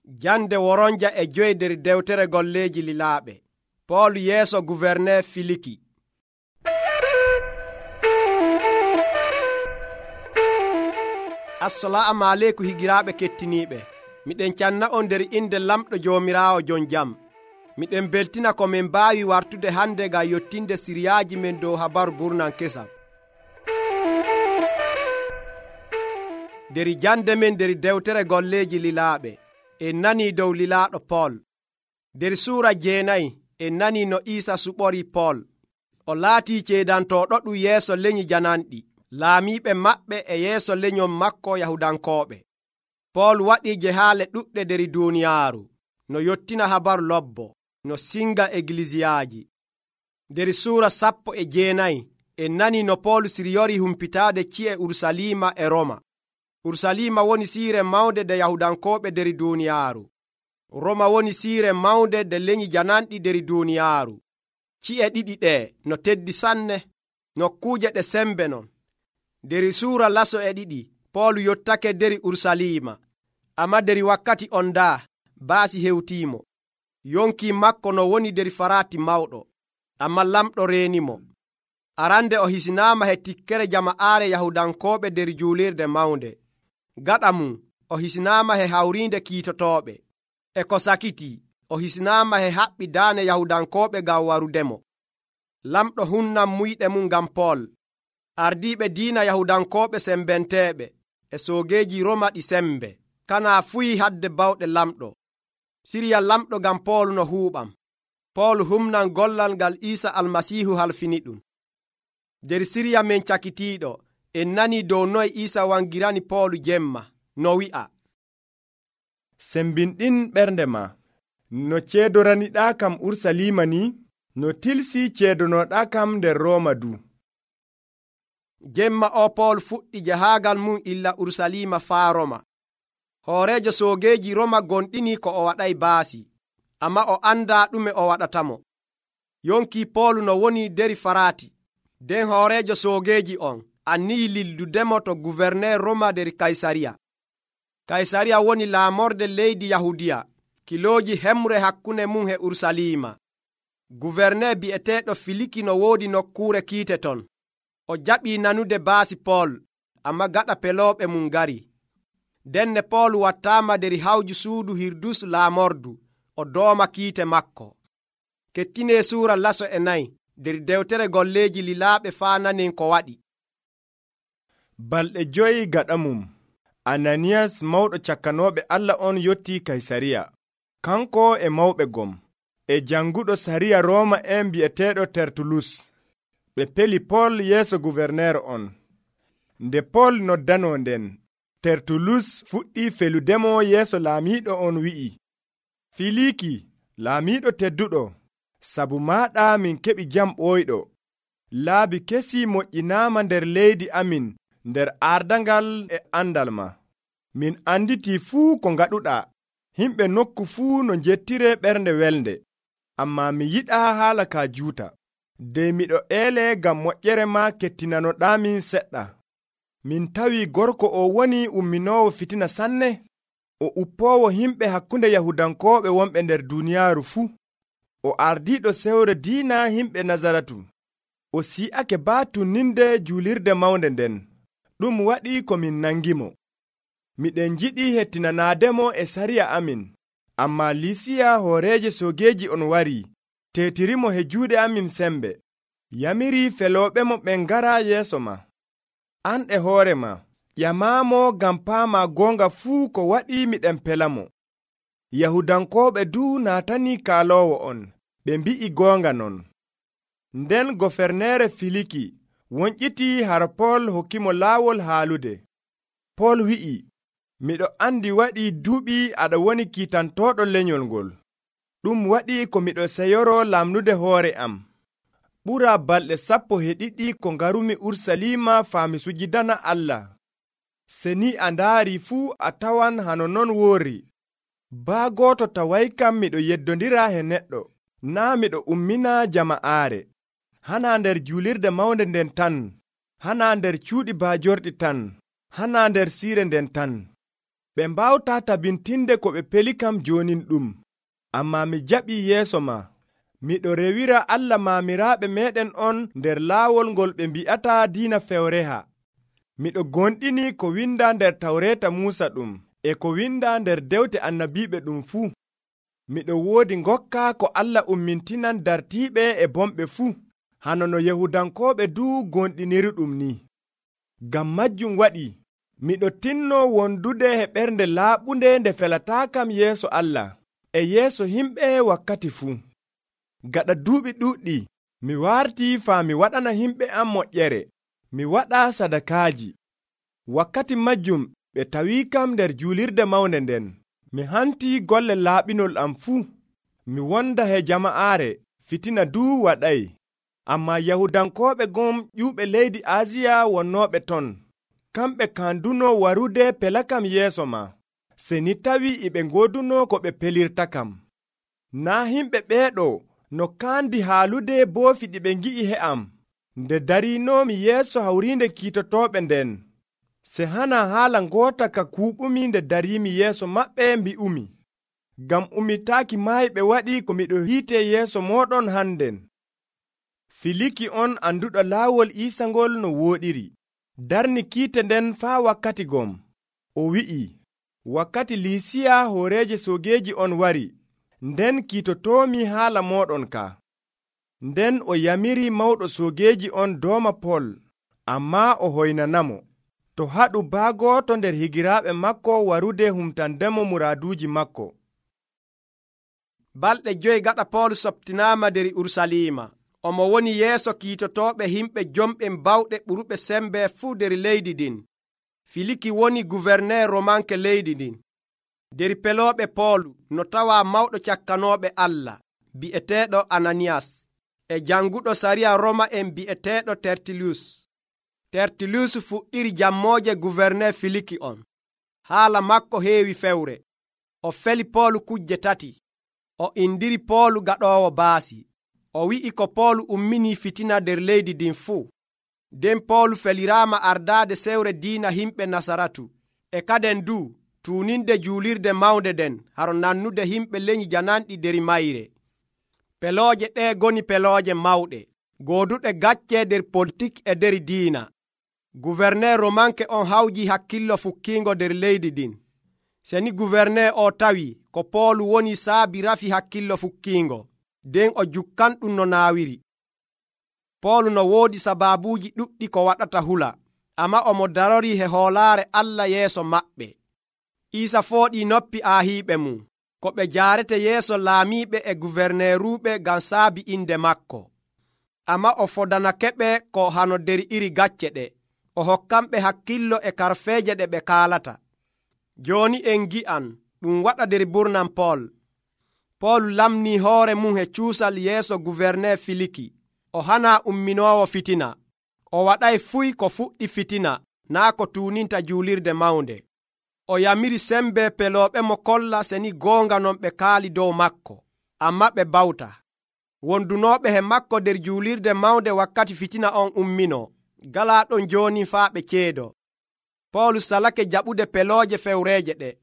Jande woronja e 5 nder dewtere golleeji lilaaɓe. Pool yeeso gouverneur Filiki. Assalamu aleykum higiraaɓe kettiniiɓe. Miɗen canna on nder inde lamɗo Joomiraawo jon jam. Miɗen beltina ko min mbaawi wartude hande ngam yottinde siriyaaji men dow habaru burnan kesam. Nder jande men nder dewtere golleeji lilaaɓe, en nanii dow lilaaɗo Pool. Nder suura 9 en nanii no Iisa suɓori Pool. O laatii ceedantooɗo ɗum yeeso leñi jananɗi, laamiiɓe maɓɓe e yeeso leñol makko Yahudankooɓe. Pool waɗii jehaale ɗuɗɗe nder duuniyaaru, no yottina habaru lobbo, no singa eglisiyaaji. Nder suura 19 en nanii no Pool siryori humpitaade ci'e Urusalima e Roma. Urusalima woni siire mawnde de Yahudankooɓe nder duuniyaaru. Roma woni siire mawnde de leñi jananɗi nder duuniyaaru. Ci'e ɗiɗi ɗe no teddi sanne, nokkuuje ɗe sembe non. Nder suura laso e 2 Pool yottake nder Urusalima, amma nder wakkati on daa baasi hewtiimo. Yonki makko no woni nder farati mawɗo, amma lamɗo reenimo. Arande o hisinaama he tikkere jama'aare Yahudankooɓe nder juulirde mawnde. Gaɗa mum o hisinaama he hawriinde kiitotooɓe. E ko sakitii o hisinaama he haɓɓi daane Yahudankooɓe ngam warudemo. Lamɗo hunnan muyɗe mum ngam Pool. Ardiiɓe diina Yahudankooɓe sembenteeɓe e soogeeji Roma ɗi sembe kana fuyi hadde bawɗe lamɗo. Siriya lamɗo ngam Pool no huuɓam. Pool humnan gollal ngal Iisa Almasiihu halfini ɗum. Nder siriya men cakitiiɗo en nanii dow noye Iisa wangirani Pool jemma, no wi'a: sembinɗin ɓernde ma, no ceedoraniɗaa kam Urusalima ni, no tilsi ceedonoɗaa kam nder Rooma du. Jemma o Pool fuɗɗi jahaagal mum illa Urusalima faa Roma. Hooreejo soogeeji Roma gonɗini ko o waɗay baasi, amma o andaa ɗume o waɗatamo. Yonki Pool no woni nder farati, nden hooreejo soogeeji on anniyi lildudemo to gouverneur Roma nder Kaysariya. Kaysariya woni laamorde leydi Yahudiya, kilooji hemre hakkunde mum e Urusalima. Gouverneur bi'eteeɗo Filiki no woodi nokkuure kiite ton. O jaɓii nanude baasi Pool, amma gaɗa pelooɓe mum ngari. Denne Pool wattaama nder hawju suudu Hirdus laamordu, o dooma kiite makko. Kettinee suura laso e 4 nder dewtere golleeji lilaaɓe faa nanen ko waɗi. Balɗe 5 gaɗa mum, Ananiyas mawɗo cakkanooɓe Allah on yottii Kaysariya, kanko e mawɓe gom, e janguɗo sariya Rooma en bi'eteeɗo Tertulus. Ɓe peli Pool yeeso gouverneur on. Nde Pool noddanoo nden, Tertulus fuɗɗii feludemo yeeso laamiiɗo on wi'i: Filiki, laamiiɗo tedduɗo, sabu maaɗa min keɓi jam ɓooyɗo. Laabi kesi moƴƴinaama nder leydi amin nder ardangal e andal ma. Min anditii fuu ko ngaɗuɗaa. Himɓe nokku fuu no njettire ɓernde welde. Amma mi yiɗaa haala ka juuta. De miɗo eele ngam moƴƴere ma kettinanoɗaamin seɗɗa. Min tawi gorko o woni umminoowo fitina sanne. O uppoowo himɓe hakkunde Yahudankooɓe wonɓe nder duuniyaaru fuu. O ardiiɗo sewre diina himɓe Nazaratu. O si'ake baatuninde juulirde mawnde nden. Ɗum waɗi ko min nangimo. Miɗen jiɗi hettinanaademo e sariya amin. Amma Lisiya hooreeje soogeeji on wari, teetirimo he juuɗe amin sembe. Yamiri felooɓemo ɓen ngara yeeso ma. An e hoore ma, ƴamaamo ngam paama goonga fuu ko waɗi miɗen pelamo. Yahudankooɓe du naatanii kaaloowo on, ɓe mbi'i goonga non. Nden gofernere Filiki wonƴitii har Pool hokkimo laawol haalude. Pool wi'i: miɗo andi waɗi duuɓi aɗa woni kiitantooɗo lenyol ngol. Ɗum waɗi ko miɗo seyoro lamnude hoore am. Ɓura balɗe 12 ko ngarumi Urusalima faami sujidana Allah. Seni a ndaari fuu a tawan hano non woori. Baa gooto taway kam miɗo yeddondira he neɗɗo, naa miɗo ummina jama'aare. Hana nder juulirde mawnde nden tan, hana nder cuuɗi baajorɗi tan, hana nder siire nden tan. ɓe mbawta tabintinde ko ɓe peli kam jonin ɗum. Ammaa mi jaɓii yeeso ma. Miɗo rewira Allah maamiraaɓe meeɗen on nder laawol ngol ɓe mbi'ata diina fewreha. Miɗo gonɗini ko winda nder Tawreeta Muusa ɗum, e ko winda nder dewte annabiiɓe ɗum fuu. Miɗo woodi ngokka ko Allah ummintinan dartiiɓe e bomɓe fuu, hano no Yahudankooɓe duu gonɗinirɗum ni. Ngam majjum waɗi, miɗo tinno wondude e ɓernde laaɓunde nde felataa kam yeeso Allah, e yeeso himɓe wakkati fuu. Gaɗa duuɓi ɗuɗɗi, mi wartii faa mi waɗana himɓe am moƴƴere, mi waɗa sadakaaji. Wakkati majjum ɓe tawii kam nder juulirde mawnde nden. Mi hantii golle laaɓinol am fuu. Mi wonda he jama'aare, fitina duu waɗay. Ammaa Yahudankooɓe gom ƴuuɓe leydi Aasiya wonnooɓe ton, kamɓe kanduno warude pela kam yeeso ma, seni tawii e ɓe ngoduno ko ɓe pelirta kam. Naa himɓe ɓeeɗo no kaandi haalude boofi ɗi ɓe ngi'i he am, nde dariinoomi yeeso hawriinde kiitotooɓe nden. Se hana haala ngoota ka kuuɓumi nde dariimi yeeso maɓɓe mbi'umi, ngam ummitaaki maayɓe waɗi ko miɗo hiite yeeso mooɗon hannden. Filiki on anduɗo laawol Iisa ngol no wooɗiri, darni kiite nden faa wakkati gom. O wi'i, wakkati Liisiya hooreeje soogeeji on wari, nden kiitotoomi haala mooɗon ka. Nden o yamiri mawɗo soogeeji on dooma Pol, ammaa o hoynanamo, to haɗu baagooto nder higiraaɓe makko warude humtandemo muraaduuji makko. Balɗe 5 gaɗa Pol softinaama nder Urusalima. Omo woni yeeso kiitotooɓe himɓe jomɓe bawɗe ɓuruɓe sembe fuu nder leydi ɗin. Filiki woni guverneer romanke leydi ɗin. Nder pelooɓe Poolu no tawa mawɗo cakkanooɓe Allah bi'eteeɗo Ananiyas, e janguɗo sariya Roma en bi'eteeɗo Tertulus. Tertulus fuɗɗiri jammooje guverneer Filiki on. Haala makko heewi fewre. O feli Poolu kujje 3. O indiri Poolu gaɗoowo baasi. O wi'i ko Poolu ummini fitina nder leydi ɗin fuu. Nden Poolu feliraama ardaade sewre diina himɓe Nasaratu, e kaden du tuuninde juulirde mawnde den haro nannude himɓe leñi jananɗi nder mayre. Pelooje ɗe goni pelooje mawɗe, gooduɗe gacce nder politik e nder diina. Guverneer romanke on hawji hakkillo fukkiingo nder leydi ɗin. Seni guverneer o tawi ko Poolu woni saabi rafi hakkillo fukkiingo, nden o jukkanɗum no naawiri. Poolu no woodi sabaabuuji ɗuɗɗi ko waɗata hula, amma omo darori he hoolaare Allah yeeso maɓɓe. Iisa fooɗii noppi aahiiɓe mum, ko ɓe jaarete yeeso laamiiɓe e guverneeruuɓe ngam saabi inde makko. Amma o fodanakeɓe ko hano nder iri gacce ɗe. O hokkanɓe hakkillo e karfeeje ɗe ɓe kaalata. Jooni en gi'an ɗum waɗa nder burnan Pool. Pool lamnii hoore mum he cuusal yeeso guverneer Filiki. O hana umminoowo fitina. O waɗay fuy ko fuɗɗi fitina, naa ko tuuninta juulirde mawnde. O yamiri sembe pelooɓe mo kolla seni goonga non ɓe kaali dow makko, amma ɓe bawta. Wondunooɓe he makko nder juulirde mawnde wakkati fitina on umminoo, galaa ɗon jooni faa ɓe ceedo. Poolu salake jaɓude pelooje fewreeje ɗe,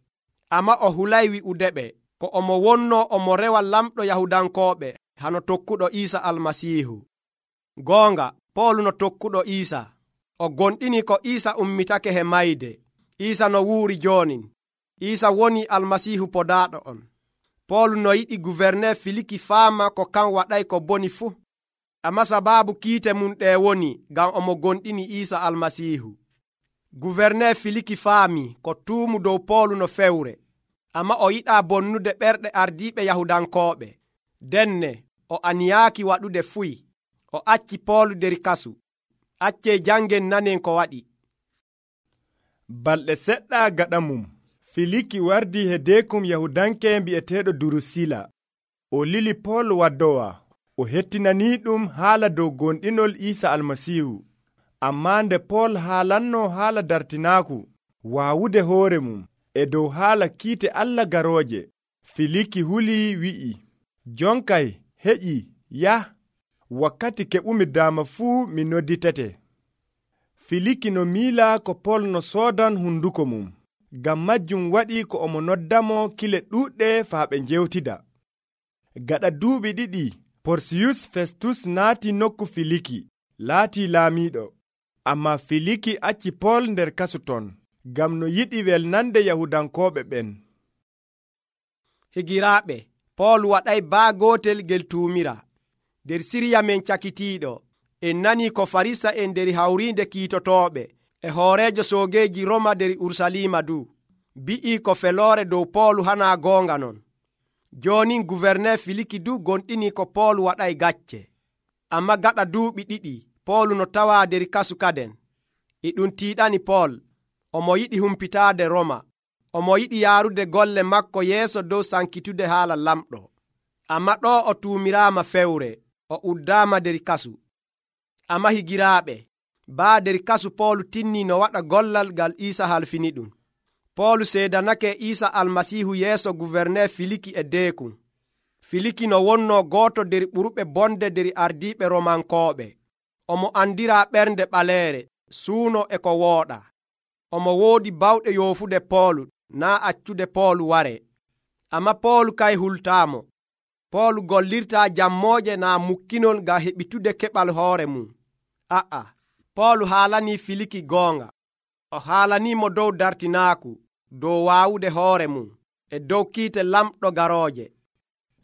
amma o hulay wi'udeɓe ko omo wonnoo omo rewa lamɗo Yahudankooɓe hano tokkuɗo Iisa Almasiihu. Goonga, Poolu no tokkuɗo Iisa. O gonɗini ko Iisa ummitake he mayde. Iisa no wuuri joonin. Iisa woni Almasiihu podaaɗo on. Poolu no yiɗi guverneer Filiki faama ko kan waɗay ko boni fuu. Amma sabaabu kiite mum ɗe woni ngam omo gonɗini Iisa Almasiihu. Guverneer Filiki faami ko tuumu dow Poolu no fewre, amma o yiɗaa bonnude ɓerɗe ardiiɓe Yahudankooɓe. Denne o aniyaaki waɗude fuy. O acci Poolu nder kasu. Accee jangen nanen ko waɗi. Balɗe seɗɗa gaɗa mum, Filiki wardi he deekum Yahudanke mbi'eteeɗo Durusila. O lili Pool waddowa. O hettinanii ɗum haala dow gonɗinol Iisa Almasiihu. Ammaa nde Pool haalanno haala dartinaaku waawude hoore mum e dow haala kiite Allah garooje, Filiki hulii wi'i, jonkay heƴi yah, wakkati keɓumi daama fuu mi nodditete. Filiki no miila ko Pool no soodan hunduko mum, ngam majjum waɗi ko omo noddamo kile ɗuuɗɗe faa ɓe njewtida. Gaɗa duuɓi 2 Porsiyus Festus naati nokku Filiki laati laamiiɗo, ammaa Filiki acci Pool nder kasu ton ngam no yiɗi welnande Yahudankooɓe ɓen. Higiraaɓe, Pool waɗay baa gootel gel tuumira. Nder Siriya men cakitiiɗo, en nanii ko Farisa'en nder hawriinde kiitotooɓe e hooreejo soogeeji Roma nder Urusalima bi'ii ko feloore dow Pool hanaa goonga non. Joonin guverner Filiki gonɗinii ko Pool waɗay gacce. Amma gaɗa duuɓi 2 Pool no tawaa nder kasu kaden. E ɗum tiiɗani Pool, omo yiɗi humpitaade Roma. Omo yiɗi yaarude golle makko yeeso dow sankitude haala lamɗo. Amma ɗo o tuumiraama fewre, o uddaama nder kasu. Amma higiraaɓe, baa nder kasu Pool tinnii no waɗa gollal ngal Iisa halfini ɗum. Pool seedanake Iisa Almasiihu yeeso guverner Filiki e deekum. Filiki no wonnoo gooto nder ɓurɓe bonde nder ardiiɓe Romankooɓe. Omo andiraa ɓernde ɓaleere, suuno e ko wooɗa. Omo woodi bawɗe yoofude Pool naa accude Pool ware. Amma Pool kay hultaamo. Pool gollirtaa jammooje naa mukkinol ngam heɓitude keɓal hoore mum. Pool haalanii Filiki goonga. O haalaniimo dow dartinaaku, dow waawude hoore mum, e dow kiite lamɗo garooje.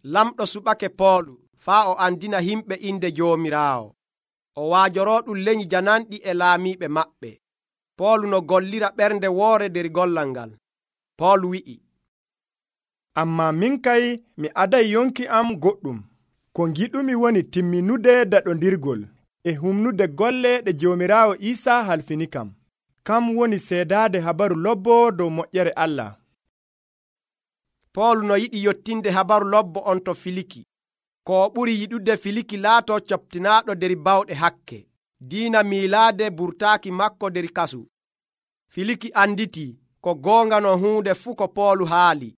Lamɗo suɓake Pool faa o andina himɓe inde Joomiraawo. O waajoroo ɗum leñi jananɗi e laamiiɓe maɓɓe. Pool no gollira ɓernde woore nder gollal ngal. Pool wi'i, ammaa min kay mi aday yonki am goɗɗum. Ko ngiɗumi woni timminude daɗondirgol e humnude golle ɗe Joomiraawo Iisa halfini kam. Kam woni seedaade habaru lobbo dow moƴƴere Allah. Pool no yiɗi yottinde habaru lobbo on to Filiki. Ko o ɓuri yiɗude Filiki laatoo coptinaaɗo nder bawɗe hakke. Diina miilaade burtaaki makko nder kasu. Filiki anditii ko goonga no huunde fuu ko Pool haali.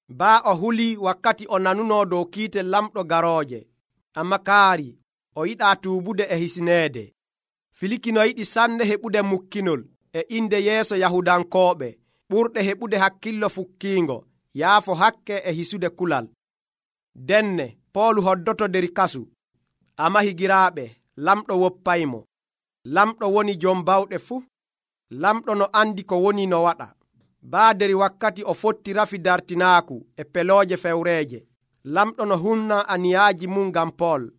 Baa o hulii wakkati o nanunoo dow kiite lamɗo garooje. Amma kaari o yiɗaa tuubude e hisineede. Filiki no yiɗi sanne heɓude mukkinol e inde yeeso Yahudankooɓe, ɓurɗe heɓude hakkillo fukkiingo, yaafo hakke e hisude kulal. Denne Pool hoddoto nder kasu. Amma higiraaɓe, lamɗo woppaymo. Lamɗo woni jom bawɗe fuu. Lamɗo no andi ko woni no waɗa. Baa nder wakkati o fotti rafi dartinaaku e pelooje fewreeje. Lamɗo no humna aniyaaji mum ngam Pool.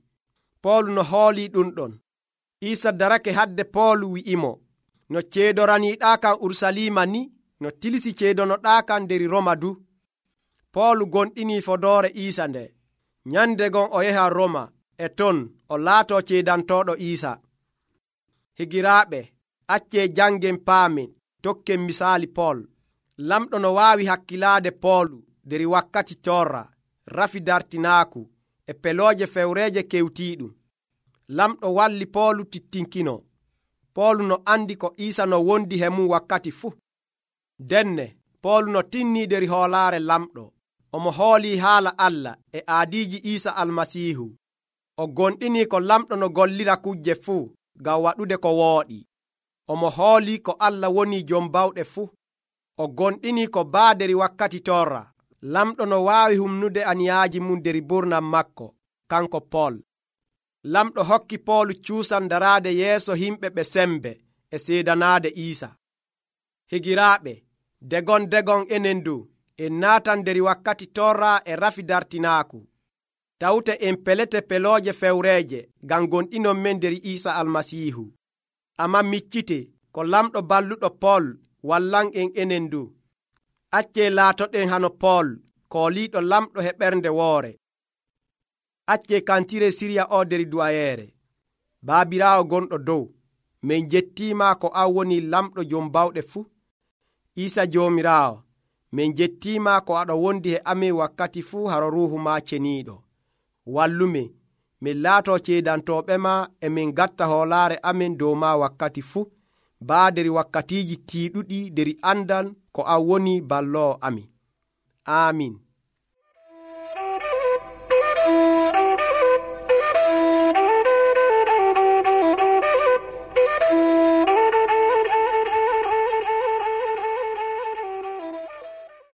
Pool no hoolii ɗum ɗon. Iisa darake hadde Pool wi'imo, no ceedoraniiɗaa kan Urusalima ni, no tilisi ceedonoɗaa kan nder Roma du. Pool gonɗinii fodoore Iisa nde. Nyande gon o yaha Roma, e ton o laatoo ceedantooɗo Iisa. Higiraaɓe, accee jangen paamen, tokken misaali Pool. Lamɗo no waawi hakkilaade Pool nder wakkati corra, rafi dartinaaku e pelooje fewreeje kewtiiɗum. Lamɗo walli Pool tittinkino. Pool no andi ko Iisa no wondi he mum wakkati fuu. Denne Pool no tinnii nder hoolaare lamɗo. Omo hoolii haala Allah e aadiiji Iisa Almasiihu. O gonɗinii ko lamɗo no gollira kujje fuu ngam waɗude ko wooɗi. Omo hoolii ko Allah woni jom bawɗe fuu. O gonɗinii ko baa nder wakkati torra. Lamɗo no waawi humnude aniyaaji mum nder burnam makko, kanko Pool. Lamɗo hokki Pool cuusan daraade yeeso himɓe ɓe sembe e seedanaade Iisa. Higiraaɓe, degon enen du en naatan nder wakkati torra e rafi dartinaaku. Tawte en pelete pelooje fewreeje ngam gonɗinon men nder Iisa Almasiihu. Amma miccite ko lamɗo balluɗo Pool wallan en enen du. Accee laatoɗen hano Pool kooliiɗo lamɗo he ɓernde woore. Accee kantire Siriya o nder duwayeere. Baabiraawo gonɗo dow, min jettiima ko an woni lamɗo jom bawɗe fuu. Iisa Joomiraawo, min jettiima ko aɗa wondi he amin wakkati fuu haro ruuhu ma ceniiɗo. Wallumin, min laatoo ceedantooɓe ma e min gatta hoolaare amin dow ma wakkati fuu, baa nder wakkatiiji tiiɗuɗi nder andal ko an woni balloowo amin. Aamin.